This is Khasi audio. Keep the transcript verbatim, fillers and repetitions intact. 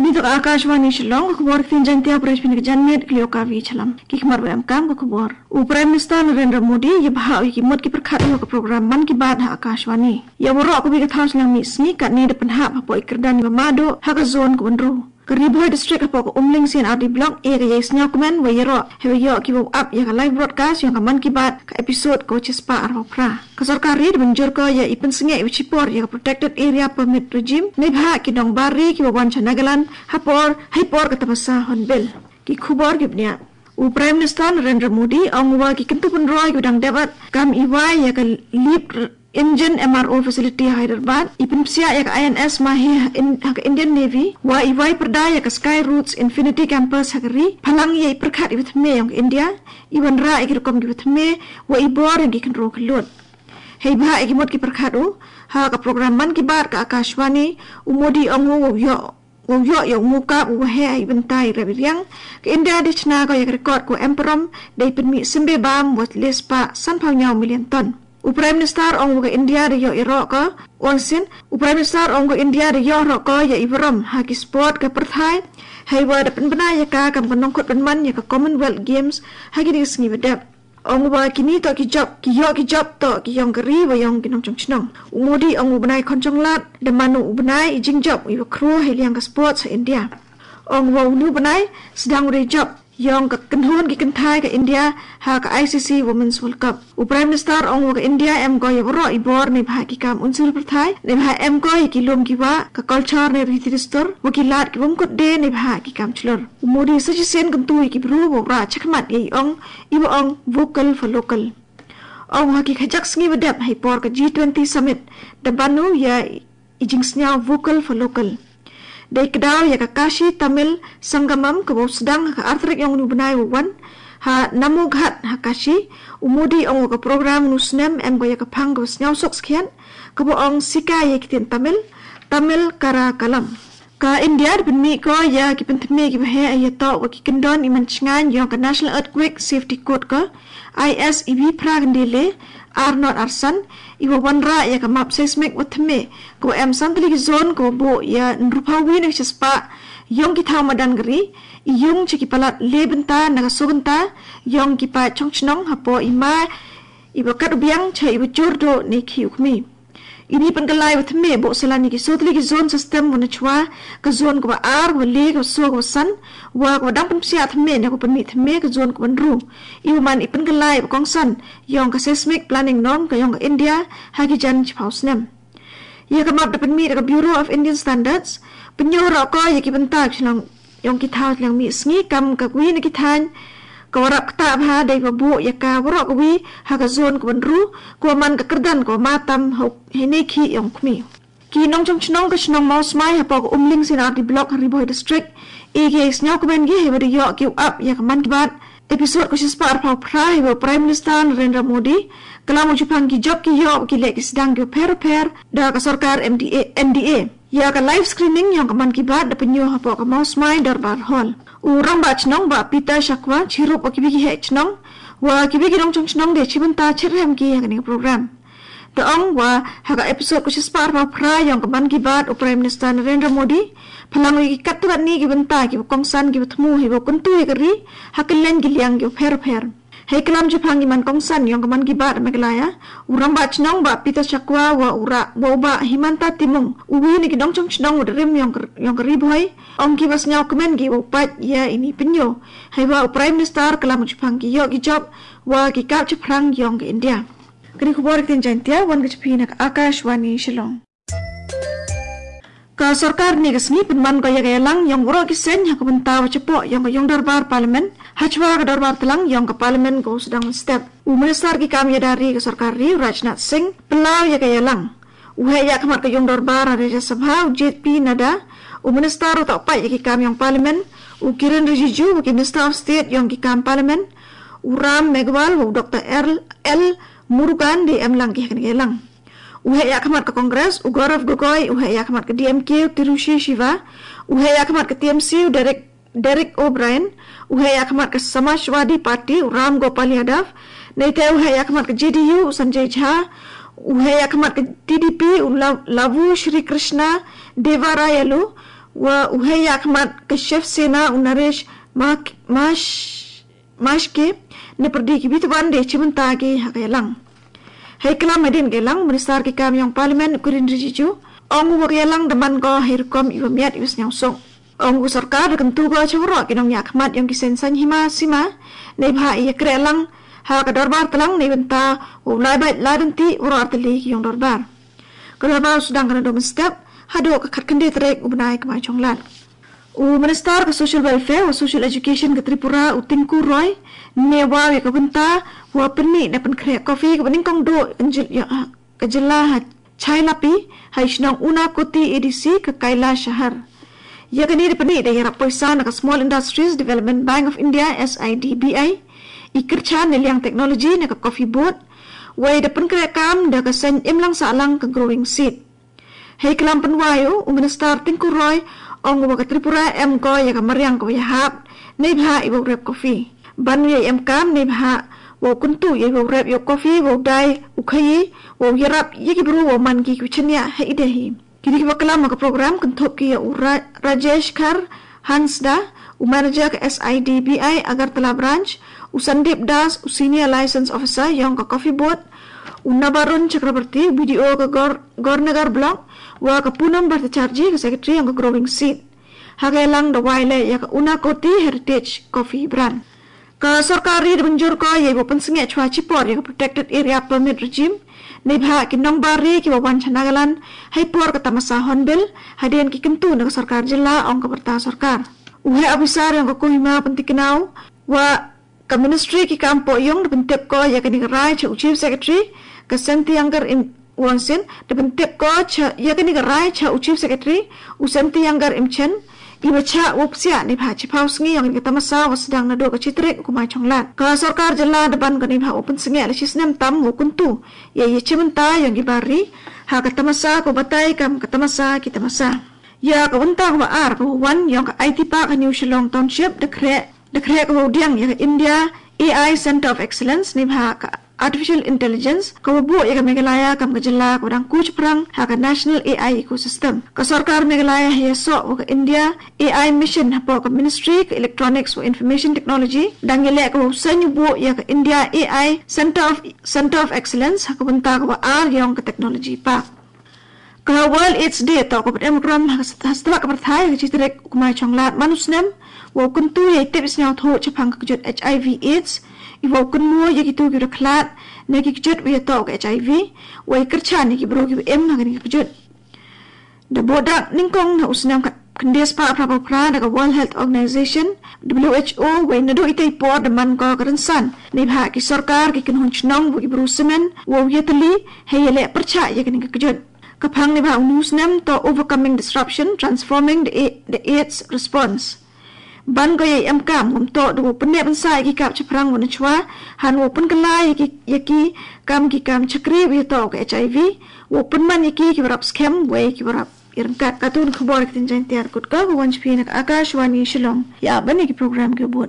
Ngi to ka Akashvani Shillong, ka khubor ka ktien Jaiñtia, pyrshah phin ka janmiet, ka liang ka Kavi Shylla. Ki khmat ba em kam ka khubor. U Prime Minister Narendra Modi ïa bha ïa ki mut ki pyrkhat ha ka program Mann Ki Baat ha Akashvani. Ïa waroh kawei ka thaw shiliang mih sngi katne da pynhap hapoh i kyrdan iba mad duh ha ka zone ka ba hynriew. Ka Ri Bhoi District hapoh ka Umling C and R D Block e ka ïa i sngewkmen wa ïaroh haba ïoh kiba ap ïa ka live broadcast ïong ka Mann Ki Baat ka episode ka shispah arphew phra. Ka sorkar ri da mynjur ko ïa i pynsngewbha iba shipor ïa ka Protected Area Permit Regime neibhah ki nongbar ri kiba wan sha Nagaland hapor, ha i por ka tamasa Hornbill. Ki khubor ki bniah. U Prime Minister Narendra Modi ong wa ki kyntu pynroi kiba dang dep kam iwai ïa ka LEAP Engine M R O facility ha Hyderabad, i pynpsiah ïa ka I N S Mahe ha ka Indian Navy, wa iwai pyrda ïa ka Sky Routes Infinity Campus ha ka ri, phalang ïa i pyrkhat iba thymme ïong ka India, i wanrah ïa ki rukom kiba thymme, wa i bor ïa ki khynraw khyllood. Hei bha ïa ki mut ki pyrkhat u, ha ka program Mann Ki Baat ka Akashvani, u Modi ong u wa u ïoh Wow ïoh ïa u mukap u wa heh ha i bynta i rep i riang, ka India da shna ko ïa ka record ko em parom, da i pynmih symbai bam wa le spah sanphew hynñiew million ton. U Prime Minister ong wa ka India da ïoh ïaroh ko, ong sien, u Prime Minister ong ka India da ïoh ïaroh ko ïa i burom ha ki sport ka pyrthai, hei wa da pynbna ïa ka kam ka nongkut pynman ïa ka Commonwealth Games ha kine ki sngi ba dep. Ong u wa kine to ki jop, ki ïoh ki jop to ki ïong ka ri wa ïong ki nongchong chnong. U Modi ong u bnai Khonchonglad, da man u bnai i jingjop, i wa khru hei liang ka sports ha India. Ong u wa u nu bnai, sdang u dei jop, ïong ka kynhun ki kynthai ka India, ha ka I C C Women's World Cup. U Prime Minister ong u wa ka India em ko ïa waroh i bor neibhah ki kam unsur pyrthai, neibhah em ko ïa ki lum ki wa, ka culture ne riti dustur, wa ki lad ki wym kut de neibhah ki kam chlur. U Modi sa shisien kyntu ïa ki bru wa u rah chakhmat ïa i ong, i wa ong vocal for local. Ong ha ki khajak sngi wa dep hei por ka G twenty summit da ban u ïa i jingsngew vocal for local. Dei kdaw ïa ka Kashi Tamil Sangamam ka wa u sdang ha ka artrik ïong u bnai wa wan ha Namughat ha Kashi, u Modi ong wa ka program u snem em ko ïa ka phang ka wa sngew sok skhian, ka wa ong sika ïa ki tien Tamil, Tamil Kara Kalam. Ka India da pynmih ko ïa ki pynthymme ki wa heh ïa to wa ki kyndon i man chngaiñ ïong ka National Earthquake Safety Code ka I S E B phra khyndai le ar not ar san i wa wanrah ïa ka map seismic wa thymme ka wa em san tylli ki zone ka wa buh ïa hynriewphew wi na ka shispah ïong ki thaw madan ka ri i ïung cha ki palat le bynta na ka soo bynta ïong ki paid chong chnong hapoh i ma i wa kat u biang cha i wa jur duh ne khih u khmih. Ini pynkylla wa thymme buh salan ïa ki soo tylli ki zone system wa na chwa, ka zone ka wa ar, wa le, ka wa soo, ka wa san, wa ka wa dang pynpsiah thymme ne ka wa pynmih thymme ka zone ka wa hynriew. I wa man i pynkylla wa kongsan ïong ka seismic planning norm ka ïong ka India ha ki jan chiphaw snem. Ïa ka map da pynmih da ka Bureau of Indian Standards, pynïoh roh ko ïa ki bynta ki shnong ïong ki thaw shiliang mih sngi kam ka wi na ki thaiñ ka wa rap ktah bha dei wa buh ïa ka waroh ka wi ha ka zone ka wa hynriew ka wa man ka kyrdan ka wa ma tam hei ne khih ïong khmih. Ki nongchong chnong ka shnong Mawsmai hapoh ka Umling C and R D Block ha Ri Bhoi District, e ki ïa sngewkmen ki hei wa da ïoh ki u ap ïa ka Mann Ki Baat episode ka shispah arphew phra hei wa Prime Minister Narendra Modi klam u jupang ki jop ki ïoh ki leh ki sdang ki wa pher pher da ka sorkar M D A, N D A. Ïa ka live screening ïong ka Mann Ki Baat da pynïoh hapoh ka Mawsmai Dorbar Hall. U Rangbah Chnong Bah Peter Shakwa chirup wa ki wi ki heh chnong wa ki wi ki nongchong chnong de chibynta chirhem ki ha kane ka program. Da ong wa ha ka episode ka shispah arphew phra ïong ka Mann Ki Baat u Prime Minister Narendra Modi phalang ïa ki katto katne ki bynta ki wa kongsan ki wa thmu hei wa kyntu ïa ka ri ha kylleng ki liang ki wa pher pher. Hei klam jupang i man kongsan ïong ka Mann Ki Baat Meghalaya, u Rangbah Chnong Bah Peter Shakwa wa u rah wa u Bah Himanta Timung, u wi na ki nongchong chnong wa da rim ïong ka, ïong ka Ri Bhoi, ong ki wa sngewkmen ki wa u pait ïa ini pynïoh. Hei wa u Prime Minister klam jupang ki ïoh ki jop wa ki kap chaphrang ïong ka India. Kane ka khubor ka ktien Jaiñtia wan ka cha phi na ka Akashvani Shillong. Ka sorkar ne ka sngi pynman ko ïa ka ïalang ïong waroh ki seng ha ka bynta wa chapoh ïong ka ïong dorbar Parliament, ha chwa ka dorbar tlang ïong ka Parliament ka u sdang mynstep. U Minister ki kam ïada ri ka sorkar ri u Rajnath Singh pynlaw ïa ka ïalang. U heh ïa khmat ka ïong dorbar ha Rajya Sabha u J P Nadda, u Minister u toh pait ïa ki kam ïong Parliament, u Kiren Rijiju wa ki Minister of State ïong ki kam Parliament, u Ram Meghwal wa u Doctor L Murugan de em lang ki ha kane ka ïalang. U heh ïa khmat ka Congress u Gaurav Gogoi, u heh ïa khmat ka D M K u Tiruchi Shiva, u heh ïa khmat ka T M C u Derek, Derek O'Brien, u heh ïa khmat ka Samajwadi Party u Ram Gopal Yadav, neite u heh ïa khmat ka J D U u Sanjay Jha, u heh ïa khmat ka T D P u Lavu Shri Krishna Devarayallu, Wa u heh ïakhmat ka Shiv Sena u Naresh Mah-, Mash-, Mashke, na pyrdi ki bit wan de chimanta ki ha ka ïalang. Hei klam hadien ka ïalang, Minister ki kam ïong Parliament u Kiren Rijiju ong u wa ka ïalang da man ko hei rukom iwa miat iwa sñiawsuk. Ong u sorkar da kyntu ko cha waroh ki nongïakhmat ïong ki seng saiñ hima sima neibhah ïa kreh lang ha ka dorbar tlang neibynta u lai bait lai bynti waroh artylli ki ïong dorbar. Ka dorbar u sdang ka naduh mynstep haduh ka khatkhyndai tarik u bnai Kmaichonglad. U Minister ka Social Welfare wa Social Education ka Tripura u Tinku Roy ne wa ïa ka bynta wa pynmih da pynkhreh coffee ka banyngkong duh ka jil-, ïa, ka jylla ha Chailapi, ha i shnong Unakoti A D C ka Kailash Shahar. Ïa kane da pynmih da ïarap poisa na ka Small Industries Development Bank of India, S I D B I, i kyrchan ne liang technology na ka coffee board, wei da pynkhreh kam da ka seng imlang sahlang ka growing seed. Hei klam pynwai u, u Minister Tinku Roy ong wa ka Tripura em ko ïa ka mariang ka wa ïahap neibhah iwa rep coffee. Ban ïa em kam neibhah wow kyntu ïa wow rep ïa u coffee, wow dai u khaïi, wow ïarap ïa ki bru wow man ki ki chynniah ha i dei hi. Kini ki wa klam ha ka program kynthup ki ïa u Ra-, Rajesh Khar Hansda, u manager ka S I D B I Agartala branch, u Sandeep Das, u senior license officer ïong ka coffee board, u Nabarun Chakraborty, u B D O ka Gor-, Gornagar block, wa ka Poonam Bhattacharjee, ka secretary ïong ka growing seed. Ha ka ïalang da wai leh ïa ka Unakoti Heritage Coffee Brand. Ka sorkar ri da mynjur ko ïa wow pynsngiat chwa chipor ïa ka protected area permit regime neibhah ki nongbar ri ki wa wan cha Nagaland hei por ka tamasa Hornbill, hadien ki kyntu na ka sorkar jylla, ong ka wyrta sorkar. U heh officer ïong ka Kohima pyntikna u wa ka ministry ki kam poh ïong da pyntip ko ïa kani ka rai cha u chief secretary ka Sentiyangar Im-, Wonsin, da pyntip ko cha ïa kani ka rai cha u chief secretary u Sentiyangar Imchen, iwa chah wow psiah neibhah chiphaw sngi ïong kani ka tamasa wa sdang naduh ka chi tarik u Kmaichonglad. Ka sorkar jylla da ban ko neibhah wow pynsngiat la chi snem tam wow kyntu ïa ïa chimanta ïong ki bar ri ha ka tamasa ka wa batai kam ka tamasa ki tamasa. Ïa ka wynta ka wa ar ka wa wan ïong ka I T Park ha New Shillong Township da khreh, da khreh ka wow diang ïa ka India A I Center of Excellence neibhah ka Artificial Intelligence ka wa buh ïa ka Meghalaya kam ka jylla ka wa dang ku chaphrang ha ka National A I Ecosystem. Ka sorkar Meghalaya ha ïasoh wa ka India A I Mission hapoh ka Ministry ka Electronics wa Information Technology dang ïaleh ka wow seng u buh ïa ka India A I Center of, Center of Excellence ha ka wynta ka wa ar ïong ka Technology Park. Ka World AIDS Day toh ka wa em burom ha ka sat-, ha satlak ka pyrthai ha ka chi tarik u Kmaichonglad man u snem wow kyntu ïa i tip i sñiawthuh chaphang ka kjut H I V AIDS, i wow kynmaw ïa kitu ki wa da khlad na ki kjut wa ïatoh ka H I V, wei kyrchan ïa ki bru ki wa im ha kani ka kjut. Da buh dak nyngkong na u snem khat-, khyndai spah phra phew phra da ka World Health Organization, W H O, wei naduh itei i por da man ko ka rynsan neibhah ki sorkar, ki kynhun chnong wa ki bru samen wow ïatylli hei ïaleh pyrchah ïa kani ka kjut. Ka phang neibhah uni u snem toh Overcoming Disruption, Transforming the A-, the AIDS Response. Ban ko ïa i em kam, ngam toh da wow pynneh pynsah ïa ki kap chaphrang wa na chwa, han wow pynkylla ïa ki, ïa ki kam, ki kam chakri wa ïatoh ka H I V, wow pynman ïa ki ki wa rap skhem wei ki wa rap ïaryngkat. Katun khubor ka tin Jaiñtia, kut ka wa wan cha phi na ka Akashvani Shillong. Ïa ban ïa ki program ki wa bud.